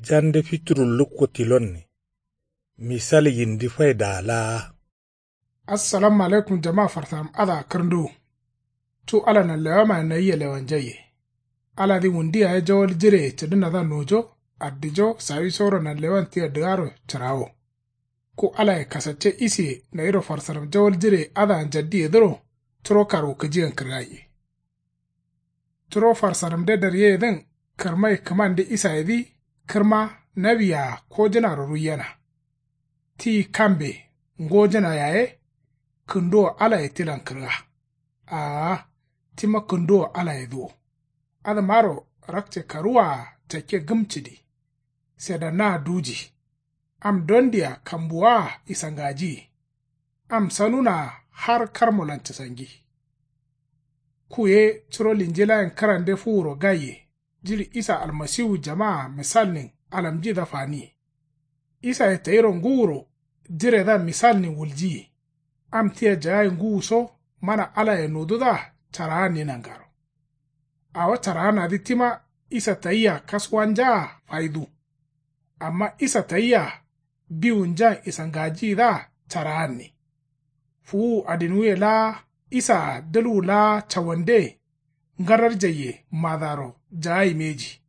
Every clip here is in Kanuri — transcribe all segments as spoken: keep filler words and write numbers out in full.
Jande fituru lukko tilonne. Misal yindi faidaa laa. Assalamu alaikum jama farsaram adǝa kǝrnduwu. Cu ala nanlewamayen nayia lewanjaiye. Aladǝ wundu yaye jawal jireye cǝdǝnadǝa nojo addijo sawisoro nanlewan tia dǝgaro cǝrawo. Ku alaye kasacce isiye nayiro farsaram jawal jireye adǝa njaddiyedǝro. Curo karwukǝjiyen kǝrgaiye. Curo farsaramde daryeyedǝn kǝrmai kǝmande isayedǝ kǝrma nawi-a kojǝnaro ruiyena. Ti kambe ngojǝna yaye kǝnduwo alaye tilan kǝrga. Aa tima kǝnduwo alayedǝ wo. Adǝmaro rakce karuwa-a cakke gǝmcǝdi. Sedannaa duji. Am dondia kambuwaa isangajiyi. Am sanunaa har karmolan cǝsangi. Ku ye curo linjilayen kǝrande fuwuro gaiye. Jiɍi isa almasiwu jamaa misalnin alamjidǝa faniye. Isaye tayiro ngǝwuro jiredǝa misalnin wuljiye. Am tia jagai ngǝwu so mana alaye nodudǝa caraanni nangaro. Awo caraanadǝ tima isa tayia kasuwanjaa faidu. Amma isa tayia biwunjan isangajiyidǝa caraanni. Fuwuwu adinwuye laa isaa dǝlwu laa cawande ngararjaiye madaro jagai mbeji.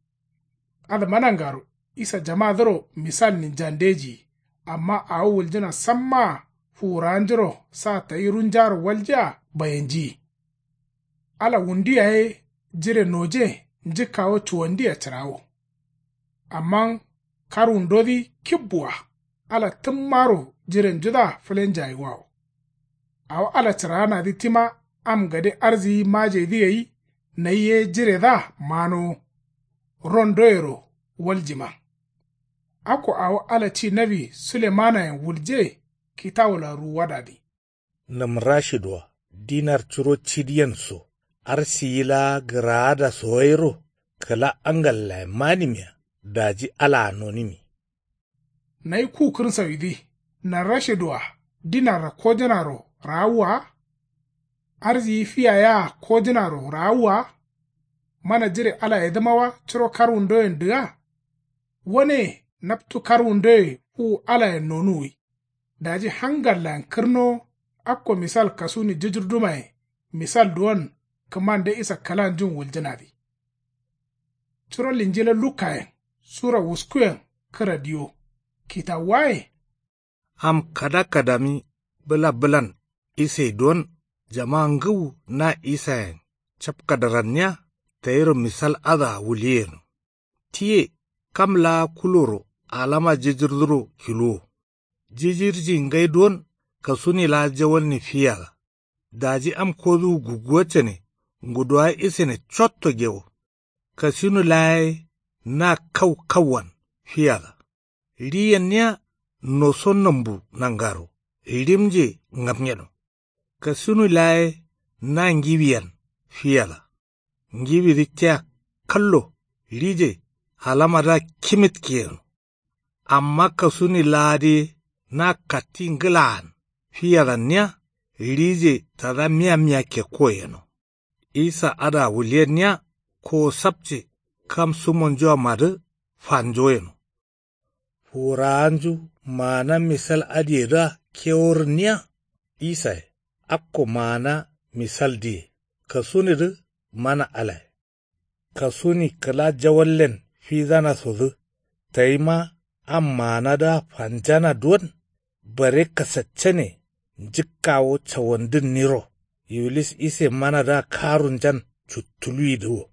Adǝma nangaro isa jamadǝro misalnin jandeji. Amma awo wuljǝna sammaa fuwurawanjuro sa tayi runjaro waljea bayenjiyi. Ala wundu yaye jire noje njǝkkawo cuwandia cǝrawo. Amma karwundodǝ kibbu-a ala tǝmmaro jirenjudǝa fǝlenjaiwawo. Awo ala cǝraanadǝ tima am gade arziyi majeidǝ gai. Nayi ye jiredǝa manowo. Rondoyero waljima. Akko awo ala ci nawi sulemanayen wulje kitawulan ruwuwadadǝ. Nǝmrashidwa dinar curo cidiyen so arsiyi laa gǝraada so gairo kǝla angallayen manimiya. Daji alaa nonimi. Nayi ku kǝrsawidǝ narrashidwa dinarra kojǝnaro raawwa wa. Arsiyi fiya yea kojǝnaro raawwa wa. Mana jire alayedǝma wa curo karwundoyen dǝga. Wane naptu karwundoye fuwu alayen nonuwwi. Daji hangallayen kǝrnowo. Akko misal kasuni jǝjǝrdumaye misal duwon kǝmande isa kǝlanjun wuljǝnadǝ. Curo linjila lukkayen sura wuskuyen kǝra diyo kitawuwaye. Am kada kadami bǝla bǝlan isai duwon jama ngǝwu na isayen capkadaranniya tayiro misal adǝa wuliyeno. Tiye kam laa kuloro alama jǝjǝrduro kiluwo. Jijirji ngai duwon kasuni laa jawalni fiyada. Daji am koduwu gugguwa cane nguduwa isane cotto gewo. Kasuni laa ye na kau kauwan fiyada. Riyenniya noso nambu nangaro rimje ngamnyeno. Kasuni laa ye na ngiwiyan fiyada. Ngiwidǝ tia kallo rije alamadǝa kimitkeyeno. Amma kasuni laadǝ ye na katti ngǝlaan fiyadanniya rije tada miya miya kekko yeno. Isa adǝa wuliyenniya kowo sapce kam sumonjua madǝ fanjo yeno. Fuwurawanju maana misal adǝyedǝa keworǝnniya. Isaye akko maana misaldǝye kasunidǝ mana alaye. Kasuni kǝla jawallen fidanasodǝ tayima am maanadǝa fanjana duwon bare kasaccane njǝkkawo cawandǝnniro. Iwulis ise manadǝa karunjan cuttuluwidǝ wo.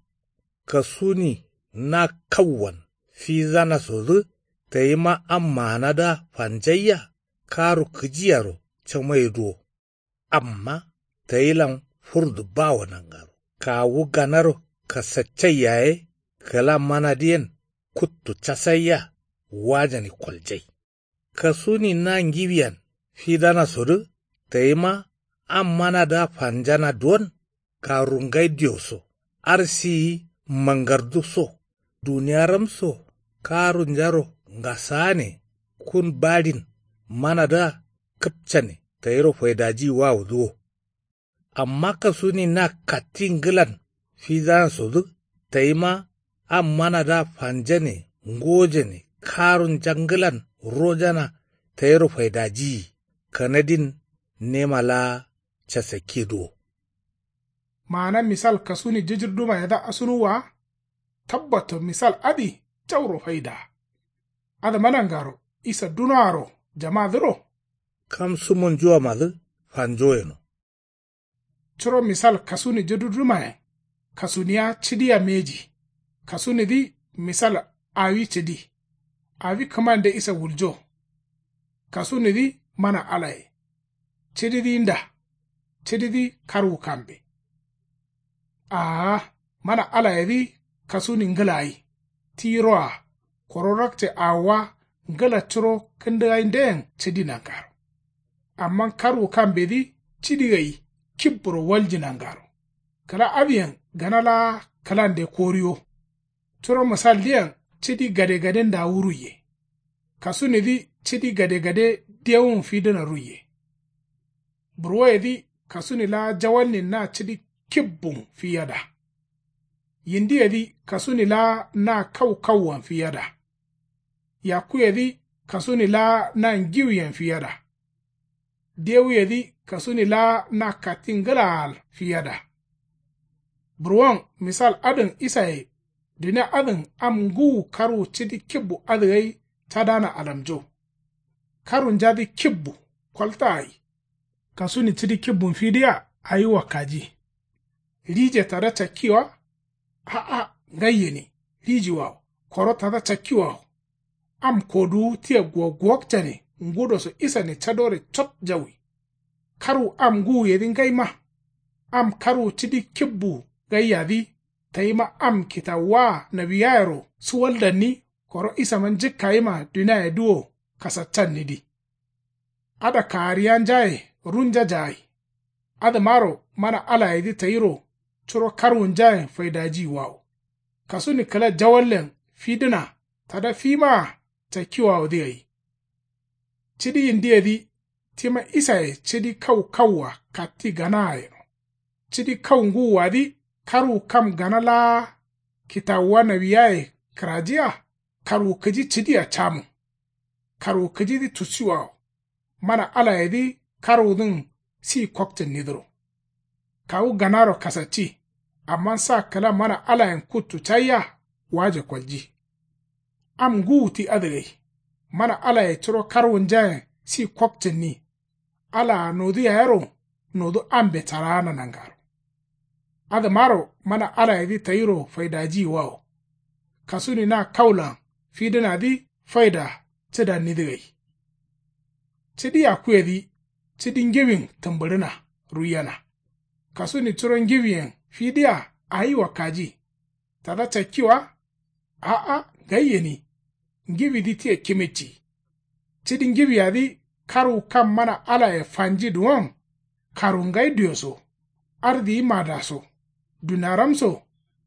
Kasuni na kauwan fidanasodǝ tayima am maanadǝa fanjaiya karu kǝjiyaro camaidǝ wo. Amma tayilan furdu bawo nangaro kawu ganaro kasaccai yaye kǝla manadǝyen kuttu casaiya wajani koljai. Kasuni na ngiwiyan fidanasodǝ tayima am manadǝa fanjana duwon karungai dioso arsiyi mangardu so duniyaram so karunjaro ngasaane kun baɍin manadǝa kǝpcane tayiro faidajiyi wawudǝ wo. Amma kasuni na katti ngǝlan fidanasodǝ tayima am manadǝa fanjane ngojane Karunja ngǝlan rojana tayiro faidajiyi. Kanadin nema laa casakkiduwo. Maana misal kasuni jǝjǝrdumayedǝa asunuwwa wa. Tabbatto misal adǝ jauro faidaa. Adǝma nangaro isa dunoaro jamadǝro. Kam sumonjuwamadǝ fanjo yeno. Curo misal kasuni jǝdudǝmayen kasuniya cǝdiya mbeji. Kasunidǝ misal awi cǝdi. Awi kǝmande isa wuljo. Kasunidǝ mana alaye. Cǝdidǝ nda. Cǝdidǝ karwu kambe. Aa. Mana alayedǝ kasuni ngǝla gai. Tiyiroa. Koro rakce awowa ngǝla curo kǝndǝgaindeyen cǝdi nangaro. Amma karwu kambedǝ cǝdi gai kibburo walji nangaro. Kǝla adǝyen gana laa kǝlande koriwo. Curo misaldǝyen cǝdi gadegadendawu ruiye. Kasunidǝ cǝdi gadegade dewun fidǝna ruiye. Burwoyedǝ kasuni laa jawalnin na cǝdi kibbun fiyada. Yindiyedǝ kasuni laa na kau kauwan fiyada. Yakkuyedǝ kasuni laa na ngiwuyen fiyada. Dewuyedǝ kasuni laa na katti ngǝlaal fiyada. Burwon misal adǝn isaye. Dunia adǝn am ngǝwu karwu cǝdi kibbu adǝ gai cadana alamjo. Karwunjadǝ kibbu kolta gai. Kasuni cǝdi kibbun fidiya awi wakkaji. Rije tada cakki wa. A'a ngai gǝni. Rijiwawo koro tada cakkiwawo. Am koduwu tia guwagguwakcane ngudo so isane cadore cot jawi. Karwu am ngǝwuyedǝ ngaima. Am karwu cǝdi kibbu gaiyadǝ tayima am kitawuwaa nawiyayero suwaldanni. Koro isama njǝkkayima duniayedǝ wo kasaccannidǝ. Ada kaariyanjaye runja jagai. Adǝmaro mana alayedǝ tayiro curo karwunjayen faidajiyiwawo. Kasuni kǝla jawallen fidǝna tada fimaa cakkiwawodǝ gai. Cidi yindiyedǝ tima isaye cidi kau kauwa katti ganaa yeno. Cidi kau ngǝwuwadǝ karwu kam gana laa kitawuwa nawiyaye kǝrajiya. Karwu kǝji cǝdia camun. Karwu kǝjidǝ tusiwawo. Mana alayedǝ karwudǝn si kokcǝnnidǝro. Kawu ganaro kasacci. Amma sa kǝla mana alayen kuttu caiya waje kolji. Am ngǝwu ti adǝ gai. Mana alaye curo karwunjayen si kokcǝnni. Alaa nodu yayero nodu ambe caraana nangaro. Adǝmaro mana alayedǝ tayiro faidajiyiwawo. Kasuni na kaulan fidǝnadǝ faida cǝdannidǝ gai. Cǝdi yakkuyedǝ cǝdi ngiwin tǝmbǝɍǝna ruiyena. Kasuni curo ngiwiyen fidiya awi wakkaji. Tada cakki wa. A'a ngai gǝni. Ngiwidǝ tia kimicci. Cǝdi ngiwiyadǝ karwu kam mana alaye fanji duwon. Karwu ngai duyo so. Ardiyi mada so. Duniaram so.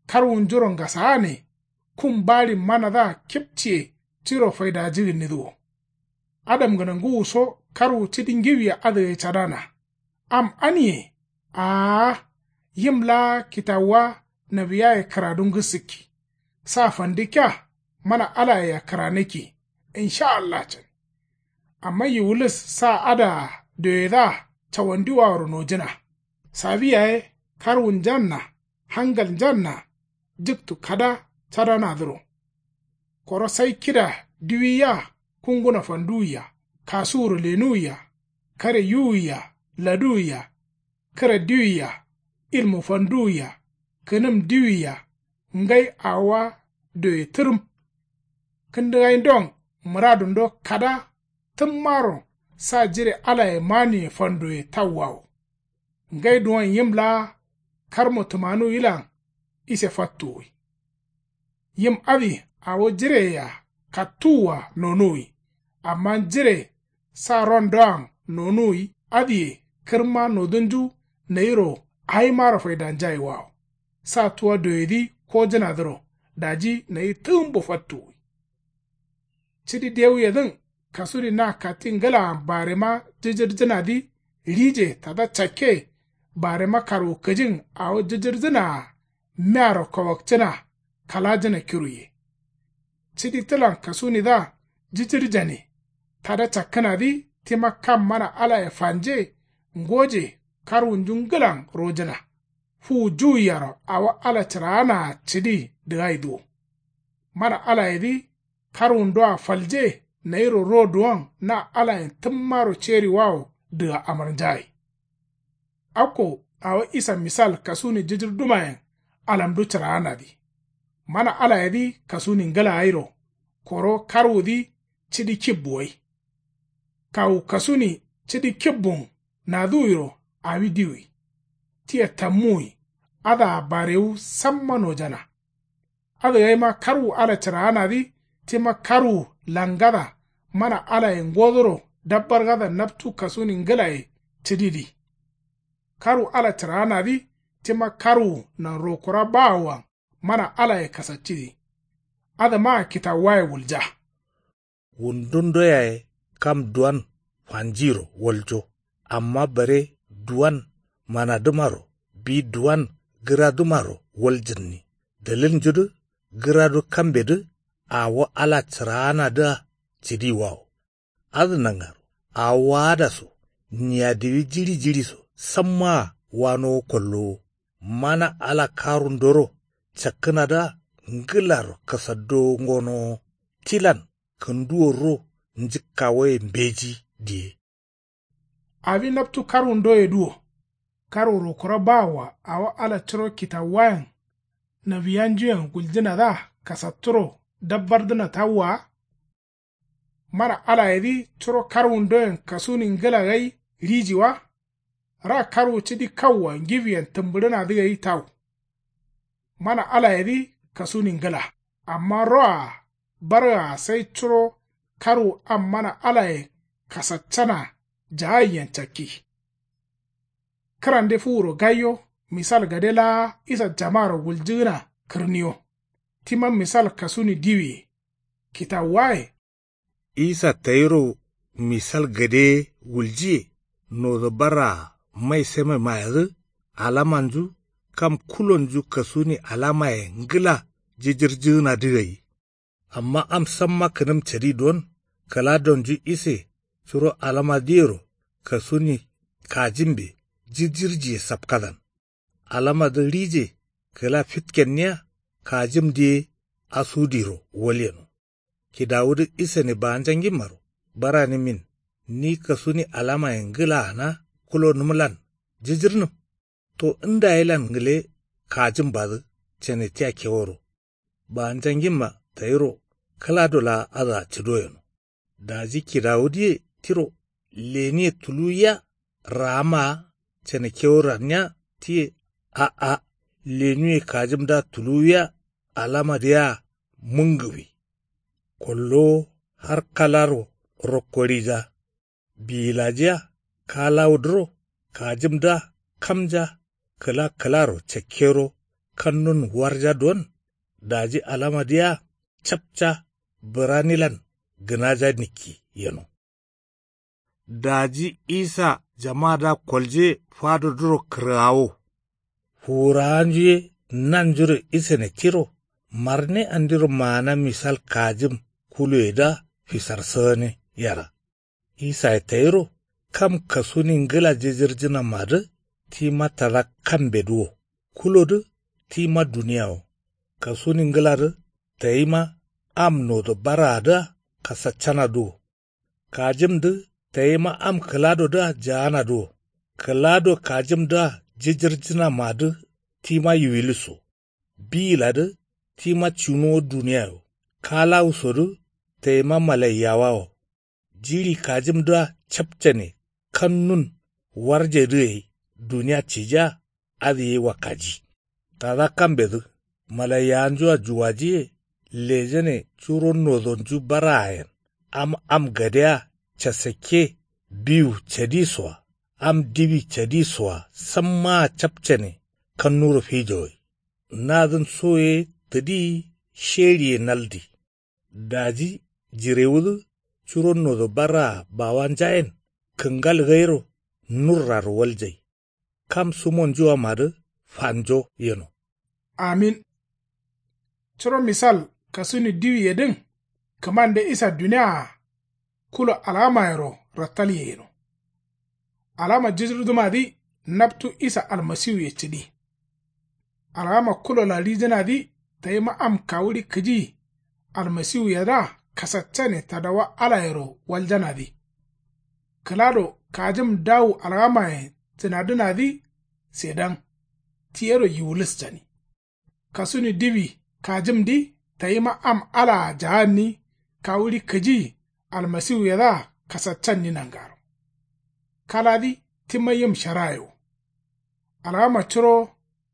Karwunjuro ngasaane. Kun baɍin manadǝa kipciye tiro faidajigǝnnidǝ wo. Adamgǝna ngǝwuso karwu cǝdi ngiwiya adǝgai cadana. Am aniye. Aa. Yim laa kitawuwa nawiyaye kǝradu ngǝsǝkki. Sa fandikkiya mana alayea kǝranǝkki. Insha allah cǝn. Amma yiwulis sa adǝa doyedǝa cawandiwaworo nojǝna. Sawi yaye karwunjanna hangalnjanna. Jǝktu kada cadanadǝro. Koro sai kida diwiya kunguna fanduwiya kasuwuro lenuwiya kare yuwiya laduwiya kǝra diwiya ilmu fanduwiya kǝnǝm diwiya ngai awowa doye tǝrǝm. Kǝndǝgaindon mǝradundo kada tǝmmaro sa jire alaye manuye fandoye tawwawo. Ngai duwon yim laa karmo tǝmanuwilan ise fattuwwi. Yim adǝ awo jireyea kattuwwa nonuwwi. Amma jire sa rondoan nonuwwi adǝye kǝrma nodunju nayiro awimaro faidanjaiwawo. Sa tuwa doyedǝ kojǝnadǝro daji nayi tǝgǝmbo fattuwwi. Cidi dewuyedǝn kasuni na katti ngǝlaan barema jǝjǝrjǝnadǝ rije tada cakke. Barema karwukǝjin awo jǝjǝrjǝnaa mearo kawakcǝna kalajǝna kiruye. cidi tǝlan kasunidǝa jǝjǝrjane. Tada cakkǝnadǝ tima kam mana alaye fanje ngoje karwunju ngǝlan rojǝna. Fuwu juwuyaro awo ala cǝraanaa cǝdi dǝgaidǝ wo. Mana alayedǝ karwundoa falje nayiro ro duwon na alayen tǝmmaro ceriwawo dǝga amarnjagai. Akko awo isa misal kasuni jǝjǝrdumayen alamdu cǝraanadǝ. Mana alayedǝ kasuni ngǝla gairo. Koro karwudǝ cidi kibbu gai. Kawu kasuni cidi kibbun naduwiro awi diwi. Tia tammuwi. Adǝa barewu samma nojana. Adǝgaima karwu ala cǝraanadǝ tima karwu langada mana alaye ngodoro dabbargada naptu kasuni ngǝlaye cǝdidǝ. Karwu ala cǝraanadǝ tima karwu nan rokura bawoan mana alaye kasaccidǝ. Adǝmaa kitawuwaye wulja. Wundundo yaye kam duwan fanjiro waljo. Amma bare duwan manadǝmaro bi duwan gǝradǝmaro waljǝnni. Dalilnjudǝ gǝradu kambedǝ awo ala cǝraanadǝa cǝdiwawo. Adǝ nangaro awo waada so niyadiwi jiɍi jiɍi so sammaa wanowo kollowo. Mana ala karundoro cakkǝnadǝa ngǝlaro kasaddowo ngonowo. Tilan kǝnduwo ro njǝkkawoye mbeji diye. Awi naptu karwundoyedǝ wo. Karwu rokura bawoa awo ala curo kitawuwayen nawiyanjuyen guljǝnadǝa kasatturo dabbardǝna tawwa wa. Mana alayedǝ curo karwundoyen kasuni ngǝla gai riji wa. Ra karwu cidi kauwa ngiwiyen tǝmbǝɍǝnadǝ gai tau. Mana alayedǝ kasuni ngǝla. Amma roa bargaa sai curo karwu am mana alaye kasaccana jagaiyen cakki. Kǝrande fuwuro gaiyo misal gade laa isa jamaro wuljǝgǝna kǝrniyo. Tima misal kasuni diwiye kitawuwaye. Isa tayiro misal gadeye wuljiye. Nodo barraa mai semamayedǝ alamanju kam kulonju kasuni alamaye ngǝla jǝjǝrjǝgǝnadǝ gai. Amma am samma kǝnǝm cadi don kǝladonju ise curo alamadǝyero kasuni kajǝmbe jǝjǝrjiye sapkadan. Alamadǝ rije kǝla fitkenniya kajǝmdǝ ye asudiro walyeno. Kidawudǝ isane baanjangimmaro baranimin ni kasuni alamaye ngǝlaana kulonǝmlan jǝjǝrnǝm. To ndayelan ngǝle kajǝmbadǝ cane tia keworo. Baanjangimma tayiro kǝlado laa adǝa cǝdo yeno. Daji kidawudǝye tiro leniye tuluwiya raamaa cane kewo ranniya tiye. A'a leniye kajǝmdǝa tuluwiya alamadǝ yea mǝngǝwi. Kollowo har kalaro rokko rija. Biyilajiya kalawudǝro kajǝmdǝa kamja kǝla kǝlaro cakkero kannun warja don. Daji alamadǝ yea capca bǝranilan gǝnaja nikki yeno. Daji isa jamadǝa kolje fadodǝro kǝrgawo. Fuwurawanju ye nanjuro isane tiro marne andiro maana misal kajǝm kuluwedǝa fisarsǝgǝne yera. Isaye tayiro kam kasuni ngǝla jǝjǝrjǝnamadǝ tima tada kambedǝ wo. Kulodǝ tima duniya wo. Kasuni ngǝladǝ tayima am nodo barraadǝa kasaccanadǝ wo. Kajǝmdǝ tayima am kǝladodǝa jaanadǝ wo. Kǝlado kajǝmdǝa jǝjǝrjǝnamadǝ tima yiwilis wo. Biyiladǝ tima cinuwo duniya wo. Kalawusodǝ tayima malaiyawa wo. Jiɍi kajǝmdǝa capcane kannun warjedǝ gai duniya cijea adǝ ye wakkaji. Tada kambedǝ malaiyawanjua juwajiye lejane curo nodonju baraayen am am gadea casakke biwu cadi soa am diwi cadi soa sammaa capcane kannuro fijo gai. Nadǝn so ye tǝdi sheɍiye naldi. Daji jirewudǝ curo nodo barraa bawanjayen kǝngal gairo nurraro waljai. Kam sumonjuamadǝ fanjo yeno. Amin. Curo misal Kasuni diwiyedǝn kǝmande isa dunia-a kulo algamayero rattalye yeno. Algama jijirdǝmadǝ naptu isa almasiwuye cǝdi. Algama kulolan rijǝnadǝ tayima am kawuɍi kǝji almasiwuyedǝa kasaccane tadawa alayero waljanadǝ. Kǝlado kajǝm dawu algamayen cǝnadǝnadǝ sedan ti yero yiwuluscani. Kasuni diwi kajǝmdǝ tayima am alaa jaanni kawuɍi kǝji almasiwuyedǝa kasaccanni nangaro. Kaladǝ tima yim sharaye wo. Algama curo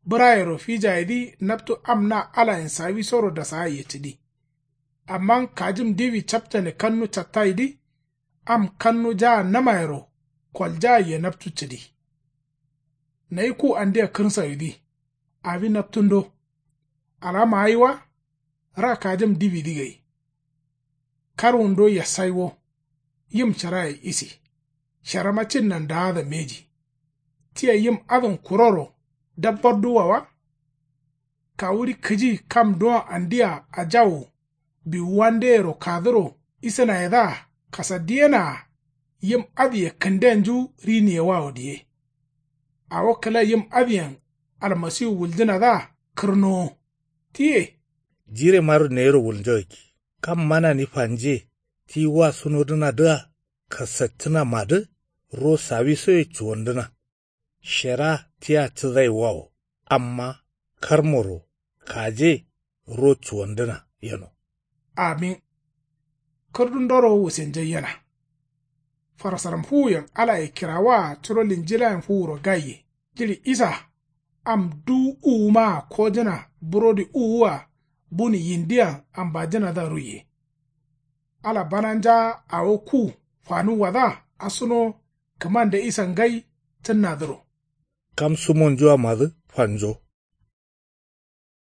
bǝrayero fijayedǝ naptu am na alayen sawisoro dasagaiye cǝdi. Amma kajǝm diwi capcane kannu cattayidǝ am kannu jaannamayero koljagaiye naptu cǝdi. Nayi ku andia kǝrsayudǝ awi naptundo. Algama gai wa ra kajǝm diwidǝ gai. Karwundo yassai wo. Yim sharaye isi. Sharama cinnan daada mbeji. Tia yim adǝn kuroro dabbarduwa wa. Kawuɍi kǝji kam duwon andia ajawu biwuwandeyero kadǝro isǝnayedǝa kasaddiyenaa. Yim adǝye kǝndenju riniyewawo diye. Awo kǝla yim adǝyen almasiwu wuljǝnadǝa kǝrnowo. Tiye. Jiremaro neyiro wulnjagakki. Kam manani fanje ti wa sunodǝnadǝa kasaccǝnamadǝ ro sawisoye cuwandǝna. Shera tia cǝzaiwawo amma karmoro kaje ro cuwandǝna yeno. Amin. Kǝrdundoro wusenjaiyena. Farasaram fuwuyen alaye kirawaa curo linjilayen fuwuro gaiye jiɍi isa am duwu uwumaa kojǝna burodi uwua buni yindiyan ambajǝnadǝa ruiye. Ala bananjaa awo ku fanuwwadǝa asuno kǝmande isa ngai cǝnnadǝro. Kam sumonjuamadǝ fanjo.